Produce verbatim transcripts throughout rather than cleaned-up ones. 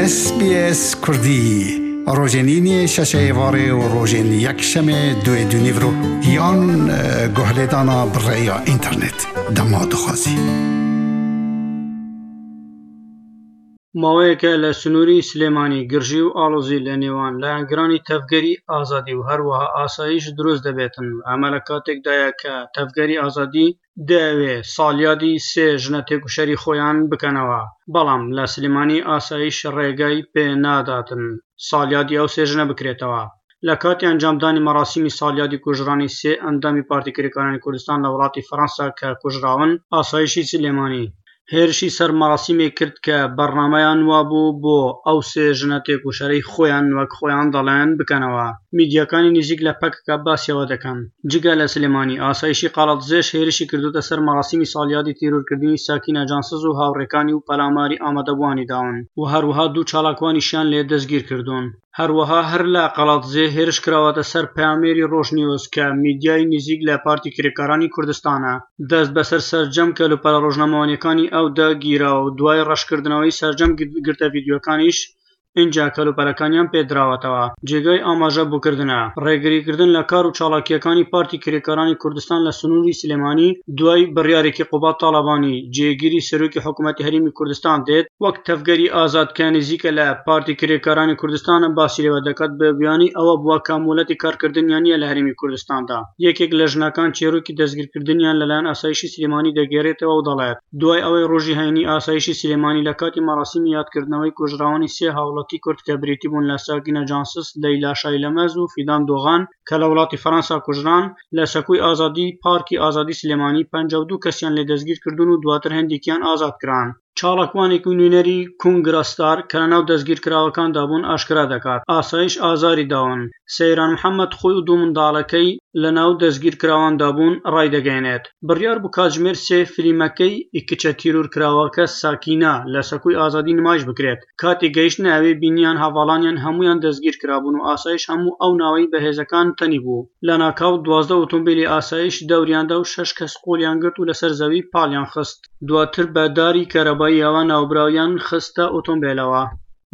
S B S Kurdî rojên îniyê şeşê êvarê û rojên yekşemê duê du nîvro yan guhlêdana bi rêya înternet dema dixwazî. ماوەیەکە لە سنووری سلێمانی گرژی و ئاڵۆزی لە نێوان لایەنگرانی تەڤگەری ئازادی و هەروەها ئاسایش دروست دەبێتن. ئەمە لە کاتێکدایە کە تەڤگەری ئازادی دەیەوێ ساڵیادی سێ ژنە تێکوشەری خۆیان بکەنەوە، بەڵام لە سلێمانی ئاسایش ڕێگای پێ ناداتن ساڵیادی ئەو سێ ژنە بکرێتەوە. لە کاتی ئەنجامدانی مەراسیمی ساڵیادی کوژرانی سێ ئەندامی پارتی کرێکارانی کوردستان لە وڵاتی فەرەنسا کە کوژراون، ئاسایشی سلێمانی هێرشی سەر مەراسیمێک کرد کە بەرنامەیان وابوو بۆ ئەو سێ ژنە تێکوشەرەی خۆیان وەک خۆیان دەڵێن بکەنەوە. میدیاکانی نزیک لە پەکەکە باسیەوە دەکەن. جگە لە سلێمانی ئاسایشی قەڵادزێش هێرشی کردوتە سەر مەراسیمی ساڵیادی تیرۆرکردنی ساکینە جانسز و هاوڕێکانی و پەلاماری ئامادەبووانی داون و هەروەها دوو چالاکوانیشیان لێ دەستگیر کردوون. هەروەها هەر لە قەڵادزێ هێرش کراوەتە سەر پەیامێری ڕۆژنیوز کە میدیای نزیک لە پارتی کرێکارانی کوردستانە. دەست بەسەر سەرجەم کەلوپەلە ڕۆژنامەوانیەکانی ئەودا گیراوە و دوای ڕەشکردنەوەی سەرجەم گرتە ڤیدیۆکانیش ئینجا کەلوپەلەکانیان پێدراوەتەوە. جێگای ئاماژە بۆکردنە ڕێگریکردن لە کار و چالاکیەکانی پارتی کرێکارانی کوردستان لە سنووری سلێمانی دوای بڕیارێکی قوباد تاڵەبانی جێگیری سەرۆکی حکوومەتی هەرێمی کوردستان دێت وەک تەڤگەری ئازاد کە نزیکە لە پارتی کرێکارانی کوردستان باسی لێوە دەکات بە بیانی ئەوە بووە کە مۆلەتی کارکردنیان نییە لە هەرێمی کوردستاندا. یەکێک لە ژنەکان چیرۆکی دەستگیرکردنیان لەلایەن ئاسایشی سلێمانی دەگێڕێتەوە و دەڵێت دوای ئەوەی ڕۆژی هەینی ئاسایشی سلێمانی لە کاتی مەراسیمی یادکردنەوەی کوژراوانی سێ هاوڵاتی کورد کە بریتی بوون لە ساکینە جانسز، لەیلا شایلەمەز و فیدان دۆغان کە لە وڵاتی فەرەنسا کوژران، لە سەکوی ئازادی پارکی ئازادی سلێمانی پەنجا و دوو کەسیان لێ دەستگیر کردوون و دواتر هەندێکیان ئازاد کران. چالاکوانێک و نوێنەری کۆنگرا ستار کە لەناو دەستگیرکراوەکاندا بوون ئاشکرا دەکات ئاسایش ئازاری داون. سەیران محەممەد خۆی و دوو منداڵەکەی لەناو دەستگیرکراواندا بوون ڕایدەگەیەنێت بڕیار بوو کاتژمێر سێ فلیمەکەی کچە تیرۆرکراوەکە ساکینە لە سەکوی ئازادی نمایش بکرێت. کاتێک گەیشتنە ئەوێ بینیان هەڤاڵانیان هەمویان دەستگیر کرابوون و ئاسایش هەموو ئەو ناوەی بەهێزەکان تەنی بوو. لەناکاو دوازدە ئۆتۆمبیلی ئاسایش دەوریاندا و شەش کەس قۆڵیان گرت و لەسەر زەوی پاڵیان خست. دواتر بە داری کارەباییەوە ناوبراویان خستە ئۆتۆمبیلەوە.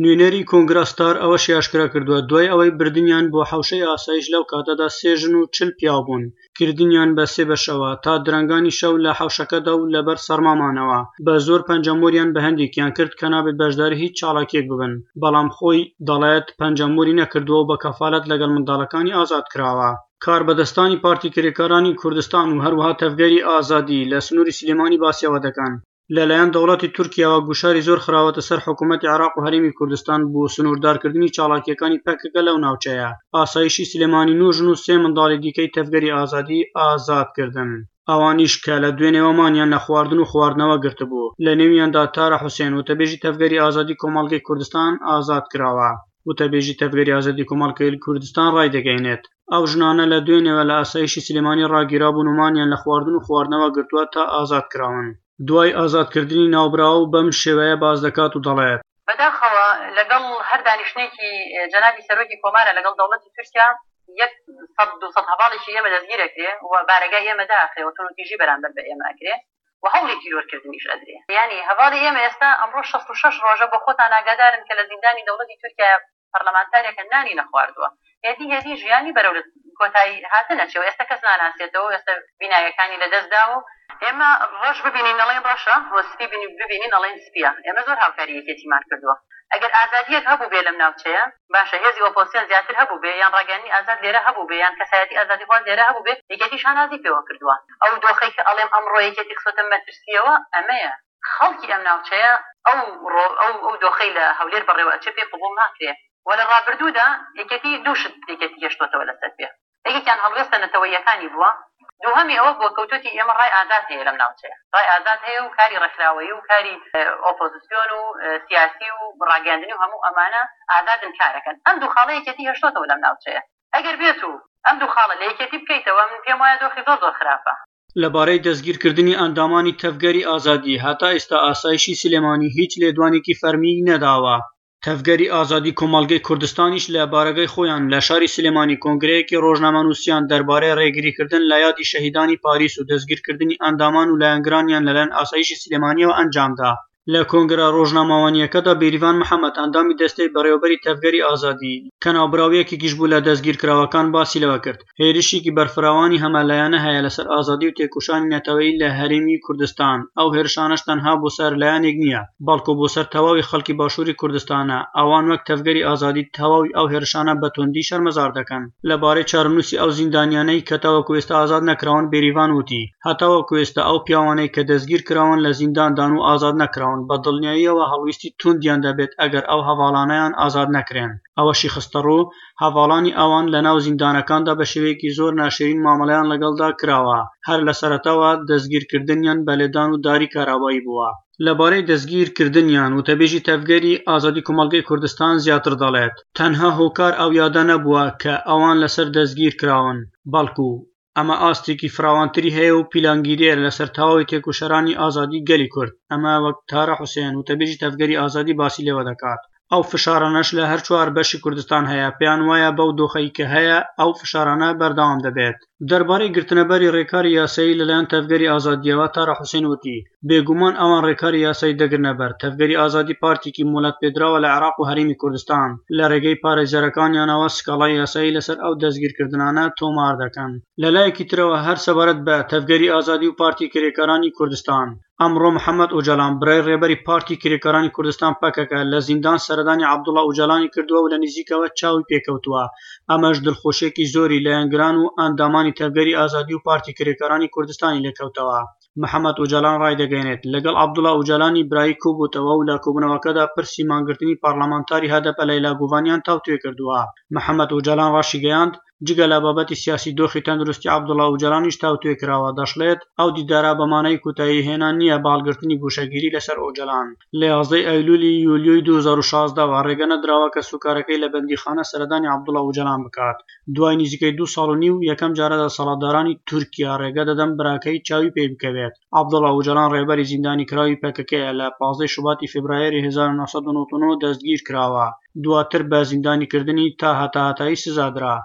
نوێنەری کۆنگرا ستار ئەوەشی ئاشکرا کردووە دوای ئەوەی بردنیان بۆ حەوشەی ئاسایش لەو کاتەدا سێ ژن و چل پیاو بوون، کردنیان بە سێ بەشەوە تا درەنگانی شەو لە حەوشەکەدا و لەبەر سەرمامانەوە بە زۆر پەنجەمۆریان بە هەندێکیان کرد کە نابێت بەشداری هیچ چالاکیەک ببن، بەڵام خۆی دەڵێت پەنجەمۆری نەکردووە و بە کەفالەت لەگەڵ منداڵەکانی ئازاد کراوە. کاربەدەستانی پارتی کرێکارانی کوردستان و هەروەها تەڤگەری ئازادی لە سنووری سلێمانی باسیەوە دەکەن لەلایەن دەوڵەتی تورکیاوە گوشاری زۆر خراوەتە سەر حکوومەتی عێراق و هەرێمی کوردستان بۆ سنووردارکردنی چالاکیەکانی پەکەکە لەو ناوچەیە. ئاسایشی سلێمانی نۆ ژن و سێ منداڵی دیکەی تەڤگەری ئازادی ئازاد کردن. ئەوانیش کە لە دوێنێوە مانیان لە خواردن و خواردنەوە گرتبوو. لە نێویاندا تارا حوسێن وتەبێژی تەڤگەری ئازادی کۆمەڵگەی کوردستان ئازاد کراوە. وتەبێژی تەڤگەری ئازادی کۆمەڵگەی کوردستان ڕایدەگەیەنێت ئەو ژنانە لە دوێنێوە لە ئاسایشی سلێمانی ڕاگیرابوون و مانیان لە خواردن و خواردنەوە گرتووە تا ئازاد کراون. دوای ئازادکردنی ناوبراو بەم شێوەیە باس دەکات و دەڵێت: بەداخەوە لەگەڵ هەر دانیشتنێکی جەنابی سەرۆکی کۆمارە لەگەڵ دەوڵەتی تورکیا یەک سەد دوو سەد هەواڵێکی ئێمە دەستگیر ئەکرێ و بارەگای ئێمە داخرێ و توندوتیژی بەرامبەر بە ئێمە ئەکرێ و هەوڵی تیرۆرکردنیش ئەدرێ. یانی هەواڵی ئێمە ئێستا ئەمڕۆ شەست و شەش ڕۆژە بۆ خۆتان ئاگادارن کە لە زیندانی دەوڵەتی تورکیا پەرلەمانتارێکە نانی نەخواردووە، هێدی هێدی ژیانی بەرەو کۆتایی هاتن ئەچێ و ئێستا کەس ناناسێتەوە و ئێستا بینایەکانی لەدەست داوە و ئێمە ڕەش ببینین ئەڵێن ڕەشە و سپی ببینین ئەڵێن سپییە. ئێمە زۆر هاوکاری یەکێتیمان کردووە. ئەگەر ئازادییەک هەبووبێ لەم ناوچەیە، باشە هێزی ئۆپۆزسیۆن زیاتر هەبووبێ یان ڕاگەیاندنی ئازاد لێرە هەبووبێ یان کەسایەتی ئازادیخواز لێرە هەبووبێ، یەکێتی شانازی پێوە کردووە. ئەو دۆخەی کە ئەڵێم ئەمڕۆ یەکێتی خستۆتە مەترسییەوە ئەمەیە. خەڵکی ئەم ناوچەیە ئەو ئەو ئەو دۆخەی لە هەولێر بەڕێوە ئەچێ پێی قبوڵ ناکرێ و لە ڕابردوودا یەکێتی دوو شت یەکێتی هێشتۆتەوە لەسەر پێ، یەکێکیان هەڵوێستە نەتەوەییەکانی بووە، دووهەمی ئەوە بووە کەوتووتی ئێمە ڕای ئازاد هەیە لەم ناوچەیە، ڕای ئازاد هەیە و کاری ڕێکخراوەیی و کاری ئۆپۆزسیۆن و سیاسی و ڕاگەیاندنی و هەموو ئەمانە ئازادن کارەکەن. ئەم دوو خاڵە یەکێتی هێشتۆتەوە لەم ناوچەیە. ئەگەر بێت و ئەم دوو خاڵە لە یەکێتی بکەیتەوە من پێم وایە دۆخی زۆر زۆر خراپە. لەبارەی دەستگیرکردنی ئەندامانی تەڤگەری ئازادی هەتا ئێستا ئاسایشی سلێمانی هیچ لێدوانێکی فەرمیی نەداوە. تەڤگەری ئازادی کۆمەڵگەی کوردستانیش لە بارەگای خۆیان لە شاری سلێمانی کۆنگرەیەکی ڕۆژنامەنووسیان دەربارەی ڕێگریکردن لە یادی شەهیدانی پاریس و دەستگیرکردنی ئەندامان و لایەنگرانیان لەلایەن ئاسایشی سلێمانیەوە ئەنجامدا. لە کۆنگرە ڕۆژنامەوانییەکەدا بێریڤان محەمەد، ئەندامی دەستەی بەڕێوەبەری تەڤگەری ئازادی کە ناوبراو یەکێکیش بوو لە دەستگیرکراوەکان، باسی لەوە کرد هێرشێکی بەرفراوانی هەمەلایەنە هەیە لەسەر ئازادی و تێکۆشانی نەتەوەیی لە هەرێمی کوردستان. ئەو هێرشانەش تەنها بۆ سەر لایەنێک نییە، بەڵکو بۆ سەر تەواوی خەڵکی باشووری کوردستانە. ئەوان وەک تەڤگەری ئازادی تەواوی ئەو هێرشانە بە توندی شەرمەزار دەکەن. لەبارەی چارەنووسی ئەو زیندانیانەی کە تاوەکو ئێستا ئازاد نەکراون، بێریڤان وتی هەتاوەکو ئێستا ئەو پیاوانەی کە دەستگیر کراون لە زینداندان و ئازاد نەکراون، بە دڵنیاییەوە هەڵویستی توندیان دەبێت ئەگەر ئەو هەواڵانەیان ئازاد نەکرێن. ئەوەشی خستەڕوو هەواڵانی ئەوان لە ناو زیندانەکاندا بە شێوەیەکی زۆر ناشرین مامەڵەیان لەگەڵدا کراوە، هەر لە سەرەتاوە دەستگیرکردنیان بە لێدان و داری کارابایی بووە. لەبارەی دەستگیرکردنیان وتەبێژی تەڤگەری ئازادی کۆمەڵگەی کوردستان زیاتر دەڵێت تەنها هۆکار ئەو یادە نەبووە کە ئەوان لەسەر دەستگیر کراون، بەڵکو ئەمە ئاستێکی فراوانتری هەیە و پیلانگیریە لەسەر تەواوی تێکۆشەرانی ئازادی گەلی کورد. ئەمە وەک تارا حوسێن وتەبێژی تەڤگەری ئازادی باسی لێوە دەکات. ئەو فشارانەش لە هەر چوار بەشی کوردستان هەیە، پێیان وایە بەو دۆخەی کە هەیە ئەو فشارانە بەردەوام دەبێت. دەربارەی گرتنەبەری ڕێکاری یاسایی لەلایەن تەڤگەری ئازادیەوە، تارا حوسێن وتی بێگومان ئەوان ڕێکاری یاسایی دەگرنەبەر. تەڤگەری ئازادی پارتێکی مۆڵەت پێدراوە لە عێراق و هەرێمی کوردستان، لە ڕێگەی پارێزەرەکانیانەوە سکاڵای یاسایی لەسەر ئەو دەستگیرکردنانە تۆمار دەکەن. لەلایەکی ترەوە هەر سەبارەت بە تەڤگەری ئازادی و پارتی کرێکارانی کوردستان، ئەمڕۆ محەممەد ئۆجالان برای ڕێبەری پارتی کرێکارانی کوردستان پەکەکە لە زیندان سەردانی عەبدوڵا ئۆجالانی کردووە و لە نزیکەوە چاوی پێکەوتووە. ئەمەش دڵخۆشیێکی زۆری لایەنگران و ئەندامانی تەڤگەری ئازادی و پارتی کرێکارانی کوردستانی لێکەوتەوە. محەممەد ئۆجالان ڕایدەگەیەنێت لەگەڵ عەبدوڵا ئۆجالانی برایی کۆبووتەوە و لە کۆبوونەوەکەدا پرسی مانگرتنی پەرلەمانتاری هەدەپە لەیلا گوڤانیان تاوتوێ کردووە. محەممەد ئۆجالان ڕاشیگەیاند جگە لە بابەتی سیاسی دۆخی تەندروستی عەبدوڵا ئۆجالانیش تاوتوێ کراوە. دەشڵێت ئەو دیدارە بەمانەی کۆتایی هێنان نییە بە هەڵگرتنی گۆشەگیری لەسەر ئۆجالان. لە یازدەی ئەیلولی یولیۆی دوو هەزار و شازدەوە ڕێگە نەدراوە کە سوکارەکەی لە بەندیخانە سەردانی عەبدوڵا ئۆجالان بکات. دوای نزیکەی دوو ساڵ و نیو یەکەم جارە دەسەڵاتدارانی تورکیا ڕێگە دەدەن براکەی چاوی پێی بکەوێت. عەبدوڵا ئۆجالان ڕێبەری زیندانی کراوی پەکەکەیە لە پازدەی شوباتی فێبرایەری هەزار و نۆ سەد و نەوەد و نۆ دەستگیر کراوە، دواتر بە زیندانیکردنی تا هەتاهەتایی سزادرا.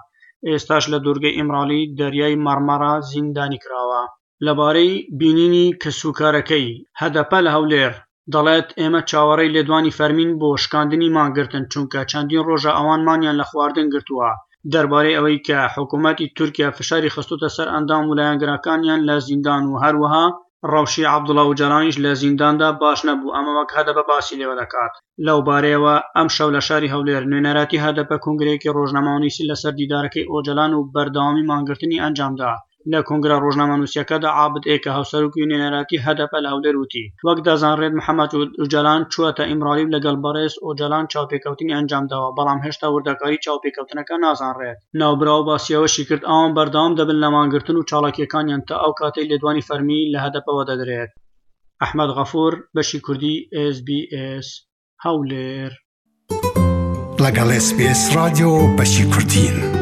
ئێستاش لە دوورگەی ئیمرالی دەریای مەرمەرە زیندانی کراوە. لەبارەی بینینی کەسوکارەکەی هەدەپە لە هەولێر دەڵێت ئێمە چاوەڕێی لێدوانی فەرمین بۆ شکاندنی مانگرتن، چونکە چەندین ڕۆژە ئەوان مانیان لە خواردن گرتووە. دەربارەی ئەوەی کە حکوومەتی تورکیا فشاری خستوتە سەر ئەندام و لایەنگرەکانیان لە زیندان و هەروەها ڕەوشی عەبدوڵا ئۆجالانیش لە زینداندا باش نەبوو، ئەمە وەک هەدەپە باسی لێوە دەکات. لەو بارەیەوە ئەمشەو لە شاری هەولێر نوێنەراتی هەدەپە کۆنگرەیەکی ڕۆژنامەنووسی لەسەر دیدارەکەی ئۆجالان و بەردەوامی مانگرتنی ئەنجامدا. لە کۆنگرە ڕۆژنامەنووسیەکەدا عابد ئێکە هاوسەرۆکی نوێنەراتی هەدەپە لە هەولێر وتی وەک دەزانرێت محەممەد ئۆجالان چووەتە ئیمرالی و لەگەڵ بەڕێز ئۆجالان چاوپێکەوتنی ئەنجامداوە، بەڵام هێشتا وردەکاری چاوپێکەوتنەکە نازانرێت. ناوبراو باسیەوەشی کرد ئەوان بەردەوام دەبن لە مانگرتن و چالاکیەکانیان تا ئەو کاتەی لێدوانی فەرمی لە هەدەپەوە دەدرێت. ئەحمەد غەفور، بەشی کوردی ئێس بی ئێس، هەولێر. لەگەڵ ئێس بی ئێس رادیۆ بەشی کوردین.